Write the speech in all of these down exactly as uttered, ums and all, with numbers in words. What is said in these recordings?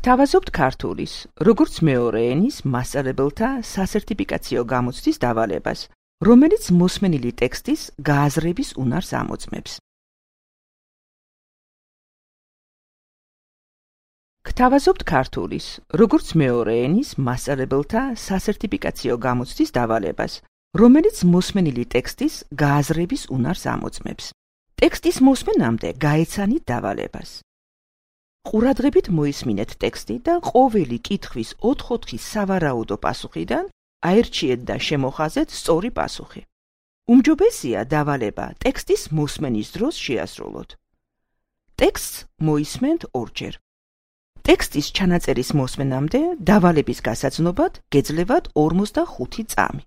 გთავაზობთ ქართულის, როგორც მეორე ენის მასწავლებელთა სასერტიფიკაციო გამოცდის დავალებას, რომელიც მოსმენილი ტექსტის გააზრების უნარს ამოწმებს. გთავაზობთ ქართულის, როგორც მეორე ენის მასწავლებელთა სასერტიფიკაციო გამოცდის დავალებას, რომელიც მოსმენილი ტექსტის გააზრების უნარს ამოწმებს. ტექსტის მოსმენამდე გაეცანით დავალებას. ყურადღებით მოისმინეთ ტექსტი და ყოველი კითხვის ოთხ-ოთხი სავარაუდო პასუხიდან აერჩიეთ და შემოხაზეთ სწორი პასუხი. უმჯობესია დავალება ტექსტის მოსმენის დროს შეასრულოთ. ტექსტს მოისმენთ ორჯერ. ტექსტის ჩანაწერის მოსმენამდე დავალების გასაცნობად გეძლევათ ორმოცდახუთი წამი.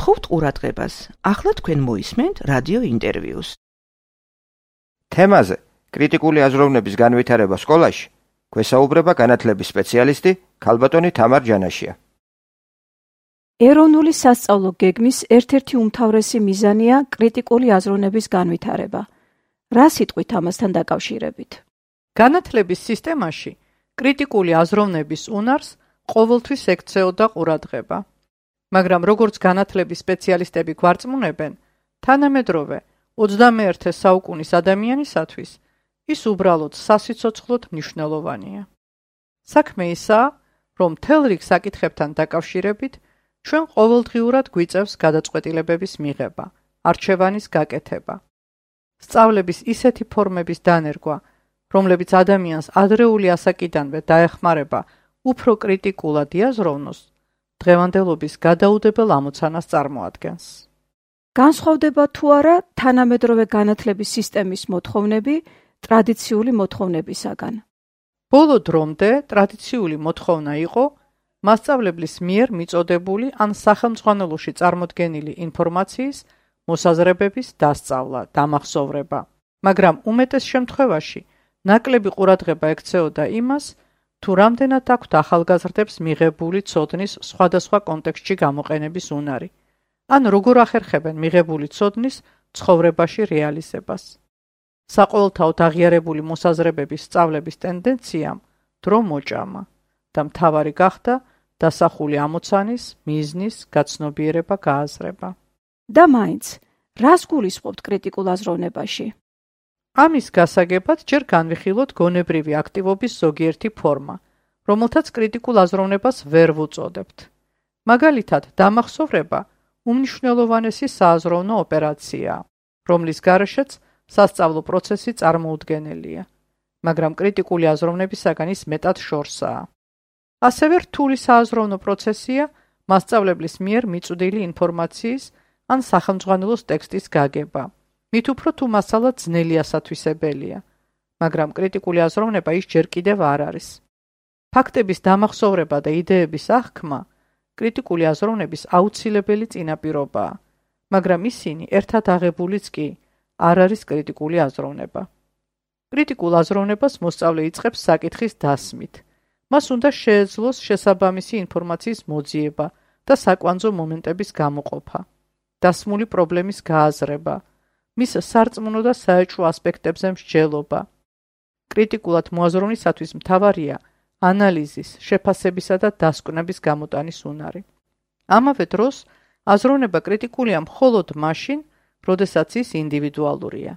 გთხოვთ ყურადღებას, ახლა თქვენ მოისმენთ რადიო ინტერვიუს. თემაზე კრიტიკული აზროვნების განვითარება სკოლაში გვესაუბრება განათლების სპეციალისტი ქალბატონი თამარ ჯანაშია. ეროვნული სასწავლო გეგმის ერთ-ერთი უმთავრესი მიზანია კრიტიკული აზროვნების განვითარება. რა სიტყვით ამასთან დაკავშირებით? განათლების სისტემაში კრიტიკული აზროვნების უნარს ყოველთვის ექცეოდა ყურადღება. მაგრამ როგორც განათლების სპეციალისტები გვარწმუნებენ, თანამედროვე ოცდამეერთე საუკუნის ადამიანისათვის ის უბრალოდ სასიცოცხლოდ მნიშვნელოვანია. საქმე ისაა, რომ მთელ რიგ საკითხებთან დაკავშირებით ჩვენ ყოველდღიურად გვიწევს გადაწყვეტილებების მიღება, არჩევანის გაკეთება. სწავლების ისეთი ფორმების დანერგვა, რომლებიც ადამიანს ადრეული ასაკიდანვე დაეხმარება უფრო კრიტიკულად იაზროვნოს, დღევანდელობის გადაუდებელ ამოცანას წარმოადგენს. განსხვავდება თუ არა თანამედროვე განათლების სისტემის მოთხოვნები ტრადიციული მოთხოვნებისაგან? ბოლო დრომდე ტრადიციული მოთხოვნა იყო მასწავლებლის მიერ მიწოდებული ან სახელმძღვანელოში წარმოდგენილი ინფორმაციის მოსაზრებების დასწავლა, დამახსოვრება, მაგრამ უმეტეს შემთხვევაში ნაკლები ყურადღება ექცეოდა იმას, თუ რამდენად აქვთ ახალგაზრდებს მიღებული ცოდნის სხვადასხვა კონტექსტში გამოყენების უნარი, ან როგორ ახერხებენ მიღებული ცოდნის ცხოვრებაში რეალიზებას. საყოველთაოდ აღიარებული მოსაზრებების სწავლების ტენდენციამ დრო მოჭამა და მთავარი გახდა დასახული ამოცანის, მიზნის, გაცნობიერება, გააზრება. და მაინც, რას გულისხმობთ კრიტიკულ აზროვნებაში? ამის გასაგებად ჯერ განვიხილოთ გონებრივი აქტივობის ზოგიერთი ფორმა, რომელთაც კრიტიკულ აზროვნებას ვერ ვუწოდებთ. მაგალითად, დამახსოვრება უმნიშვნელოვანესი სააზროვნო ოპერაციაა, რომლის გარეშეც სასწავლო პროცესი წარმოუდგენელია, მაგრამ კრიტიკული აზროვნებისაგან ის მეტად შორსაა. ასევე რთული სააზროვნო პროცესია მასწავლებლის მიერ მიწვდილი ინფორმაციის ან სახელმძღვანელოს ტექსტის გაგება. მით უფრო თუ მასალა ძნელი ასათვისებელია, მაგრამ კრიტიკული აზროვნება ის ჯერ კიდევ არ არის. ფაქტების დამახსოვრება და იდეების აღქმა კრიტიკული აზროვნების აუცილებელი წინაპირობაა, მაგრამ ისინი ერთად აღებულიც კი არ არის კრიტიკული აზროვნება. კრიტიკულ აზროვნებას მოსწავლე იწყებს საკითხის დასმით. მას უნდა შეეძლოს შესაბამისი ინფორმაციის მოძიება და საკვანძო მომენტების გამოყოფა, დასმული პრობლემის გააზრება, მის სარწმუნო და საეჭვო ასპექტებზე მსჯელობა. კრიტიკულად მოაზროვნისათვის მთავარია ანალიზის, შეფასებისა და დასკვნების გამოტანის უნარი. ამავე დროს, აზროვნება კრიტიკულია მხოლოდ მაშინ, როდესაც ის ინდივიდუალურია.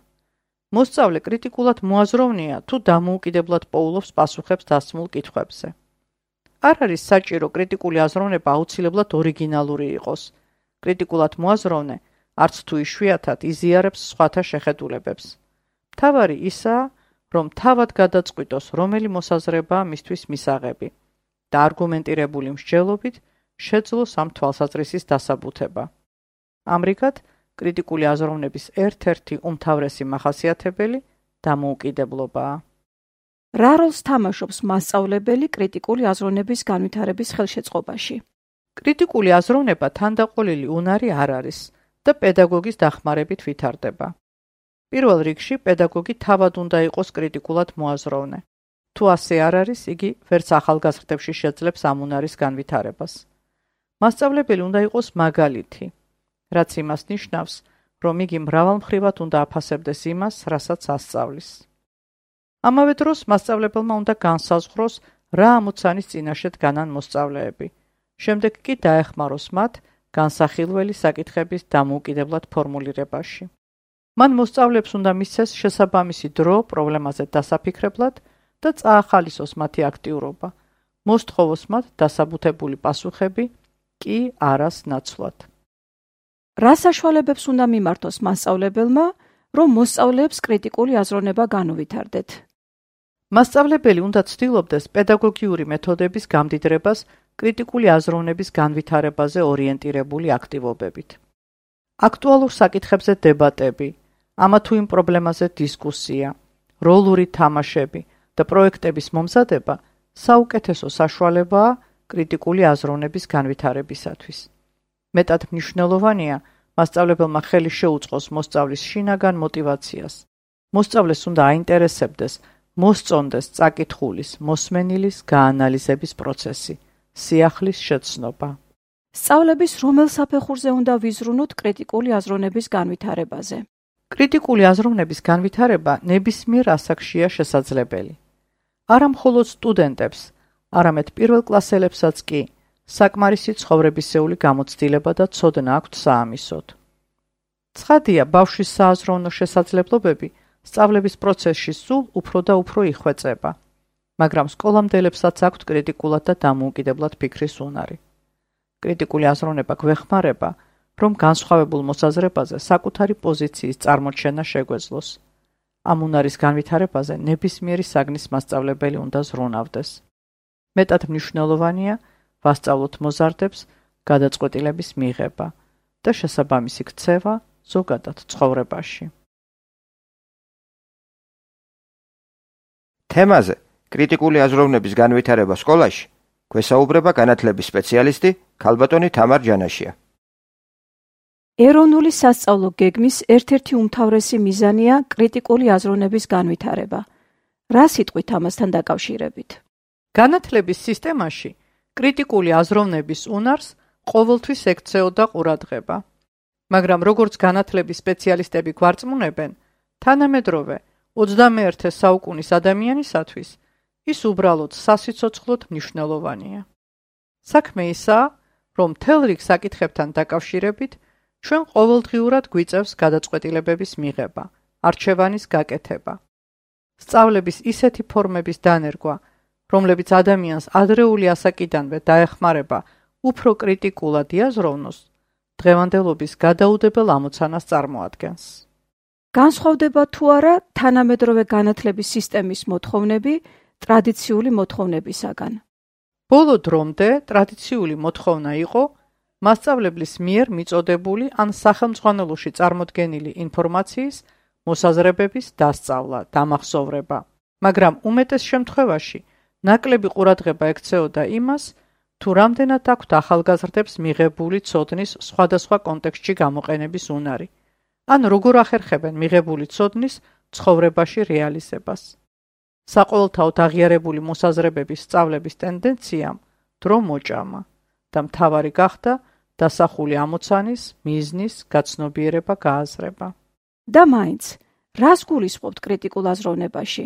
მოსწავლე კრიტიკულად მოაზროვნეა, თუ დამოუკიდებლად პოულობს პასუხებს დასმულ კითხვებზე. არ არის საჭირო კრიტიკული აზროვნება აუცილებლად ორიგინალური იყოს. კრიტიკულად მოაზროვნე არც თუ იშვიათად იზიარებს სხვათა შეხედულებებს. მთავარი ისაა, რომ თავად გადაწყვიტოს, რომელი მოსაზრებაა მისთვის მისაღები. და არგუმენტირებული მსჯელობით შეძლოს ამ თვალსაზრისის დასაბუთება. ამრიგად, კრიტიკული აზროვნების ერთ-ერთი უმთავრესი მახასიათებელი დამოუკიდებლობაა. რა როლს თამაშობს მასწავლებელი კრიტიკული აზროვნების განვითარების ხელშეწყობაში? კრიტიკული აზროვნება თანდაყოლილი უნარი არ არის და პედაგოგის დახმარებით ვითარდება. პირველ რიგში პედაგოგი თავად უნდა იყოს კრიტიკულად მოაზროვნე. თუ ასე არ არის, იგი ვერც ახალგაზრდებში შეძლებს ამ უნარის განვითარებას. მასწავლებელი უნდა იყოს მაგალითი, რაც იმას ნიშნავს, რომ იგი მრავალმხრივად უნდა აფასებდეს იმას, რასაც ასწავლის. ამავე დროს მასწავლებელმა უნდა განსაზღვროს, რა ამოცანის წინაშე დგანან მოსწავლეები. შემდეგ კი დაეხმაროს მათ განსახილველი საკითხების დამოუკიდებლად ფორმულირებაში. მან მოსწავლეებს უნდა მისცეს შესაბამისი დრო პრობლემაზე დასაფიქრებლად და წაახალისოს მათი აქტიურობა. მოსთხოვოს მათ დასაბუთებული პასუხები, კი არას ნაცვლად. რა საშუალებებს უნდა მიმართოს მასწავლებელმა, რომ მოსწავლეებს კრიტიკული აზროვნება განუვითარდეთ? მასწავლებელი უნდა ცდილობდეს პედაგოგიური მეთოდების გამდიდრებას კრიტიკული აზროვნების განვითარებაზე ორიენტირებული აქტივობებით. აქტუალურ საკითხებზე დებატები, ამა თუ იმ პრობლემაზე დისკუსია, როლური თამაშები და პროექტების მომზადება საუკეთესო საშუალებაა კრიტიკული აზროვნების განვითარებისათვის. მეტად მნიშვნელოვანია მასწავლებელმა ხელი შეუწყოს მოსწავლის შინაგან მოტივაციას. მოსწავლეს უნდა აინტერესებდეს მოსწონდეს წაკითხulis, მოსმენილის გაანალიზების პროცესი, სიახლის შეცნობა. სწავლების რომელ საფეხურზე უნდა ვიზრუნოთ კრიტიკული აზროვნების განვითარებაზე? კრიტიკული აზროვნების განვითარება ნებისმიერ ასაკშია შესაძლებელი. არა მხოლოდ სტუდენტებს, არამედ პირველკლასელებსაც კი საკმარისი ცხოვრებისეული გამოცდილება და ცოდნა აქვთ საამისოდ. ცხადია, ბავშვის სააზროვნო შესაძლებლობები სწავლების პროცესში სულ უფრო და უფრო იხვეწება, მაგრამ სკოლამდელებსაც აქვთ კრიტიკულად და დამოუკიდებლად ფიქრის უნარი. კრიტიკული აზროვნება გვეხმარება, რომ განსხვავებულ მოსაზრებაზე საკუთარი პოზიციის წარმოჩენა შეგვეძლოს. ამ უნარის განვითარებაზე ნებისმიერი საგნის მასწავლებელი უნდა ზრუნავდეს. მეტად მნიშვნელოვანია ვასწავლოთ მოზარდებს გადაწყვეტილების მიღება და შესაბამისი ქცევა ზოგადად ცხოვრებაში. თემაზე კრიტიკული აზროვნების განვითარება სკოლაში გვესაუბრება განათლების სპეციალისტი ქალბატონი თამარ ჯანაშია. ეროვნული სასწავლო გეგმის ერთ-ერთი უმთავრესი მიზანია კრიტიკული აზროვნების განვითარება. რა სიტყვით ამასთან დაკავშირებით? განათლების სისტემაში კრიტიკული აზროვნების უნარს ყოველთვის ექცეოდა ყურადღება. მაგრამ როგორც განათლების სპეციალისტები გვარწმუნებენ, თანამედროვე ოცდამეერთე საუკუნის ადამიანისათვის ის უბრალოდ სასიცოცხლოდ მნიშვნელოვანია. საქმე ისაა, რომ მთელ რიგ საკითხებთან დაკავშირებით ჩვენ ყოველდღიურად გვიწევს გადაწყვეტილებების მიღება, არჩევანის გაკეთება. სწავლების ისეთი ფორმების დანერგვა, რომლებიც ადამიანს ადრეული ასაკიდანვე დაეხმარება უფრო კრიტიკულად იაზროვნოს, დღევანდელობის გადაუდებელ ამოცანას წარმოადგენს. განსხვავდება თუ არა თანამედროვე განათლების სისტემის მოთხოვნები ტრადიციული მოთხოვნებისაგან? ბოლო დრომდე ტრადიციული მოთხოვნა იყო მასწავლებლის მიერ მიწოდებული ან სახელმძღვანელოში წარმოდგენილი ინფორმაციის მოსაზრებების დასწავლა, დამახსოვრება, მაგრამ უმეტეს შემთხვევაში ნაკლები ყურადღება ექცეოდა იმას, თუ რამდენად აქვთ ახალგაზრდებს მიღებული ცოდნის სხვადასხვა კონტექსტში გამოყენების უნარი, ან როგორ ახერხებენ მიღებული ცოდნის ცხოვრებაში რეალიზებას. საყოველთაოდ აღიარებული მოსაზრებების სწავლების ტენდენციამ დრო მოჭამა და მთავარი გახდა დასახული ამოცანის, მიზნის გაცნობიერება გააზრება. და მაინც, რას გულისხმობთ კრიტიკულ აზროვნებაში?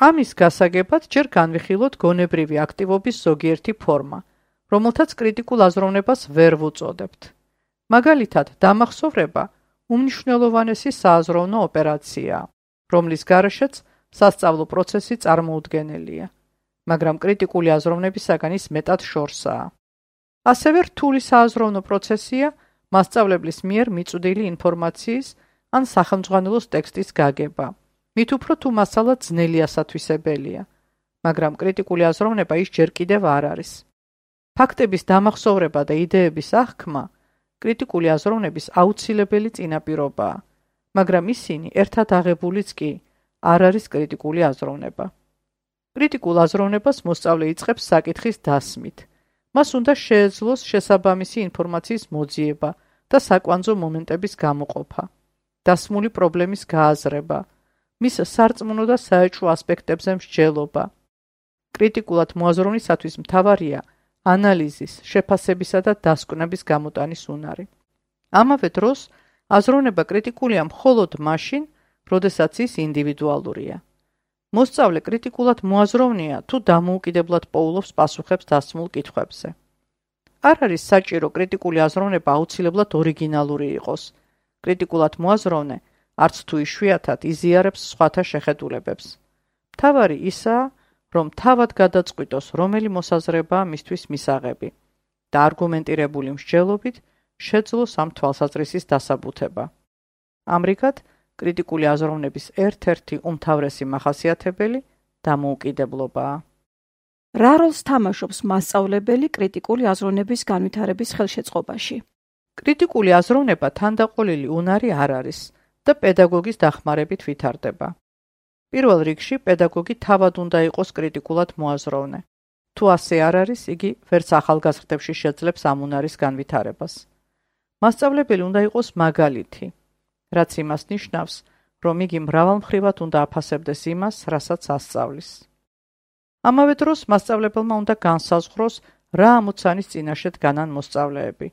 ამის გასაგებად ჯერ განვიხილოთ გონებრივი აქტივობის ზოგიერთი ფორმა, რომელთაც კრიტიკულ აზროვნებას ვერ ვუწოდებთ. მაგალითად, დამახსოვრება უმნიშვნელოვანესი სააზროვნო ოპერაციაა, რომლის გარეშეც სასწავლო პროცესი წარმოუდგენელია, მაგრამ კრიტიკული აზროვნებისაგან ის მეტად შორსაა. ასევე რთული სააზროვნო პროცესია მასწავლებლის მიერ მიწვდილი ინფორმაციის ან სახელმძღვანელოს ტექსტის გაგება, მით უფრო თუ მასალა ძნელი ასათვისებელია, მაგრამ კრიტიკული აზროვნება ის ჯერ კიდევ არ არის. ფაქტების დამახსოვრება და იდეების აღქმა კრიტიკული აზროვნების აუცილებელი წინაპირობაა, მაგრამ ისინი ერთად აღებულიც კი არ არის კრიტიკული აზროვნება. კრიტიკულ აზროვნებას მოსწავლე იწყებს საკითხის დასმით. მას უნდა შეეძლოს შესაბამისი ინფორმაციის მოძიება და საკვანძო მომენტების გამოყოფა, დასმული პრობლემის გააზრება, მის სარწმუნო და საეჭვო ასპექტებზე მსჯელობა. კრიტიკულად მოაზროვნისათვის მთავარია ანალიზის, შეფასებისა და დასკვნების გამოტანის უნარი. ამავე დროს აზროვნება კრიტიკულია მხოლოდ მაშინ, როდესაც ის ინდივიდუალურია. მოსწავლე კრიტიკულად მოაზროვნეა თუ დამოუკიდებლად პოულობს პასუხებს დასმულ კითხვებზე. არ არის საჭირო კრიტიკული აზროვნება აუცილებლად ორიგინალური იყოს. კრიტიკულად მოაზროვნე არც თუ იშვიათად იზიარებს სხვათა შეხედულებებს. მთავარი ისაა, რომ თავად გადაწყვიტოს, რომელი მოსაზრებაა მისთვის მისაღები და არგუმენტირებული მსჯელობით შეძლოს ამ თვალსაზრისის დასაბუთება. ამრიგად, კრიტიკული აზროვნების ერთ-ერთი უმთავრესი მახასიათებელი დამოუკიდებლობაა. რა როლს თამაშობს მასწავლებელი კრიტიკული აზროვნების განვითარების ხელშეწყობაში? კრიტიკული აზროვნება თანდაყოლილი უნარი არ არის და პედაგოგის დახმარებით ვითარდება. პირველ რიგში პედაგოგი თავად უნდა იყოს კრიტიკულად მოაზროვნე. თუ ასე არ არის, იგი ვერც ახალგაზრდებში შეძლებს ამ უნარის განვითარებას. მასწავლებელი უნდა იყოს მაგალითი, რაც იმას ნიშნავს, რომ იგი მრავალმხრივად უნდა აფასებდეს იმას, რასაც ასწავლის. ამავე დროს მასწავლებელმა უნდა განსაზღვროს, რა ამოცანის წინაშე დგანან მოსწავლეები.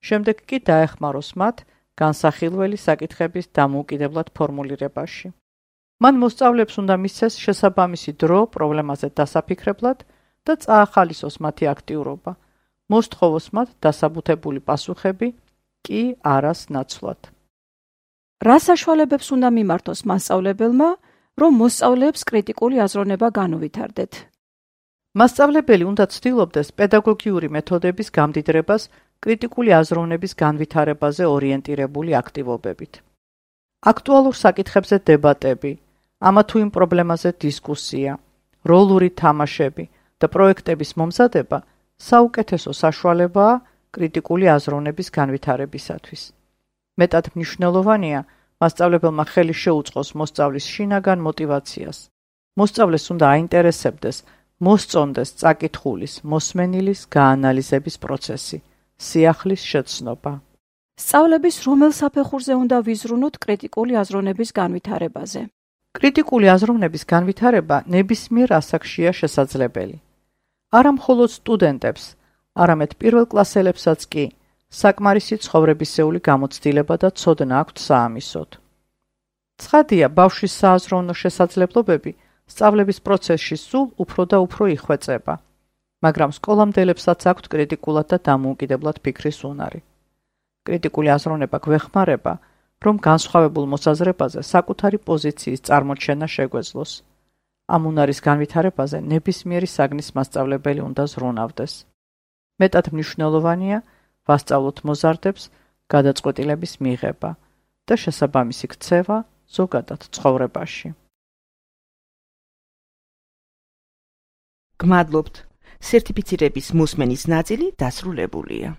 შემდეგ კი დაეხმაროს მათ განსახილველი საკითხების დამოუკიდებლად ფორმულირებაში. მან მოსწავლეებს უნდა მისცეს შესაბამისი დრო პრობლემაზე დასაფიქრებლად და წაახალისოს მათი აქტიურობა. მოსთხოვოს მათ დასაბუთებული პასუხები, კი არას ნაცვლად. რა საშუალებებს უნდა მიმართოს მასწავლებელმა, რომ მოსწავლეებს კრიტიკული აზროვნება განუვითარდეთ? მასწავლებელი უნდა ცდილობდეს პედაგოგიური მეთოდების გამდიდრებას კრიტიკული აზროვნების განვითარებაზე ორიენტირებული აქტივობებით. აქტუალურ საკითხებზე დებატები, ამა თუ იმ პრობლემაზე დისკუსია, როლური თამაშები და პროექტების მომზადება საუკეთესო საშუალებაა კრიტიკული აზროვნების განვითარებისათვის. მეტად მნიშვნელოვანია მასწავლებელმა ხელი შეუწყოს მოსწავლის შინაგან მოტივაციას. მოსწავლეს უნდა აინტერესებდეს, მოსწონდეს წაკითხulis, მოსმენილის გაანალიზების პროცესი, სიახლის შეცნობა. სწავლების რომელ საფეხურზე უნდა ვიზრუნოთ კრიტიკული აზროვნების განვითარებაზე? კრიტიკული აზროვნების განვითარება ნებისმიერ ასაკშია შესაძლებელი. არა მხოლოდ სტუდენტებს, არამედ პირველკლასელებსაც კი საკმარისი ცხოვრებისეული გამოცდილება და ცოდნა აქვთ საამისოდ. ცხადია, ბავშვის სააზროვნო შესაძლებლობები სწავლების პროცესში სულ უფრო და უფრო იხვეწება, მაგრამ სკოლამდელებსაც აქვთ კრიტიკულად და დამოუკიდებლად ფიქრის უნარი. კრიტიკული აზროვნება გვეხმარება, რომ განსხვავებულ მოსაზრებაზე საკუთარი პოზიციის წარმოჩენა შეგვეძლოს. ამ უნარის განვითარებაზე ნებისმიერი საგნის მასწავლებელი უნდა ზრუნავდეს. მეტად მნიშვნელოვანია ვასწავლოთ მოზარდებს გადაწყვეტილების მიღება და შესაბამისი ქცევა ზოგადად ცხოვრებაში. გმადლობთ. სერტიფიცირების მოსმენის ნაწილი დასრულებულია.